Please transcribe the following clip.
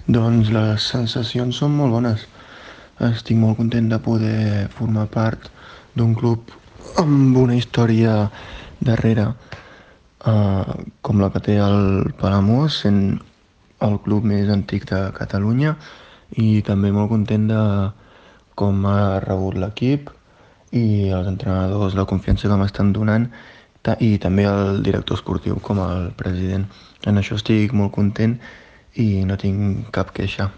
Doncs les sensacions són molt bones. Estic molt content de poder formar part d'un club amb una història darrere, com la que té el Palamós, sent el club més antic de Catalunya, i també molt content de com ha rebut l'equip i els entrenadors, la confiança que m'estan donant, i també el director esportiu com el president. En això estic molt content i no tinc cap queixa.